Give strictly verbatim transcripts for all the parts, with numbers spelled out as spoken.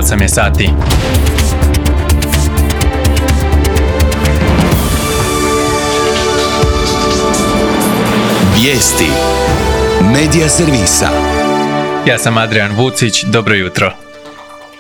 osam je sati. Vijesti Medija servisa. Ja sam Adrian Vucić, dobro jutro.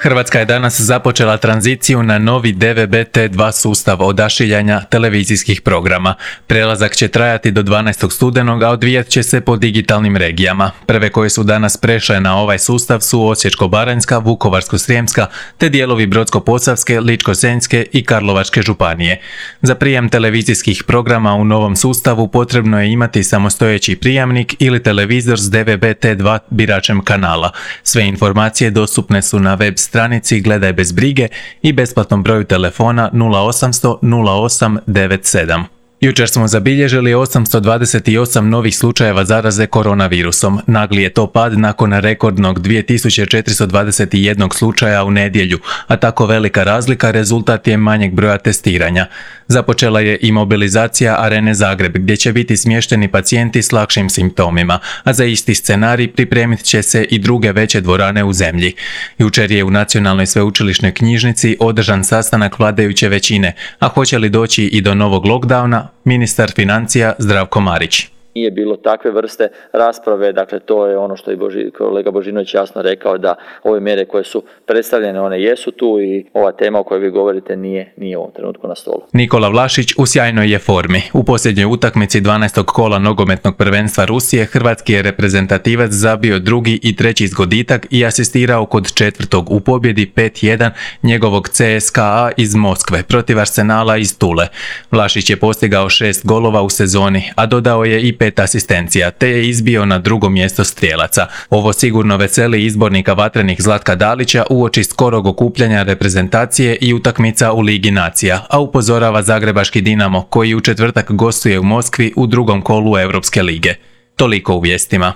Hrvatska je danas započela tranziciju na novi D V B T dva sustav odašiljanja televizijskih programa. Prelazak će trajati do dvanaestog studenog, a odvijat će se po digitalnim regijama. Prve koje su danas prešle na ovaj sustav su Osječko-baranjska, Vukovarsko-srijemska, te dijelovi Brodsko-posavske, Ličko-senjske i Karlovačke županije. Za prijem televizijskih programa u novom sustavu potrebno je imati samostojeći prijamnik ili televizor s D V B T dva biračem kanala. Sve informacije dostupne su na web stranici Gledaj bez brige i besplatnom broju telefona nula osamsto nula osam devet sedam. Jučer smo zabilježili osamsto dvadeset osam novih slučajeva zaraze koronavirusom. Nagli je to pad nakon rekordnog dvije tisuće četiristo dvadeset jedan slučaja u nedjelju, a tako velika razlika rezultat je manjeg broja testiranja. Započela je i mobilizacija Arene Zagreb, gdje će biti smješteni pacijenti s lakšim simptomima, a za isti scenarij pripremit će se i druge veće dvorane u zemlji. Jučer je u Nacionalnoj sveučilišnoj knjižnici održan sastanak vladajuće većine, a hoće li doći i do novog lockdowna, ministar financija Zdravko Marić. Nije bilo takve vrste rasprave, dakle to je ono što je Boži, kolega Božinović jasno rekao, da ove mjere koje su predstavljene, one jesu tu i ova tema o kojoj vi govorite nije, nije u ovom trenutku na stolu. Nikola Vlašić u sjajnoj je formi. U posljednjoj utakmici dvanaestog kola nogometnog prvenstva Rusije hrvatski je reprezentativac zabio drugi i treći zgoditak i asistirao kod četvrtog u pobjedi pet jedan njegovog C S K A iz Moskve protiv Arsenala iz Tule. Vlašić je postigao šest golova u sezoni, a dodao je i pet asistencija, te je izbio na drugo mjesto strijelaca. Ovo sigurno veseli izbornika vatrenih Zlatka Dalića uoči skorog okupljanja reprezentacije i utakmica u Ligi nacija, a upozorava zagrebački Dinamo koji u četvrtak gostuje u Moskvi u drugom kolu Europske lige. Toliko u vijestima.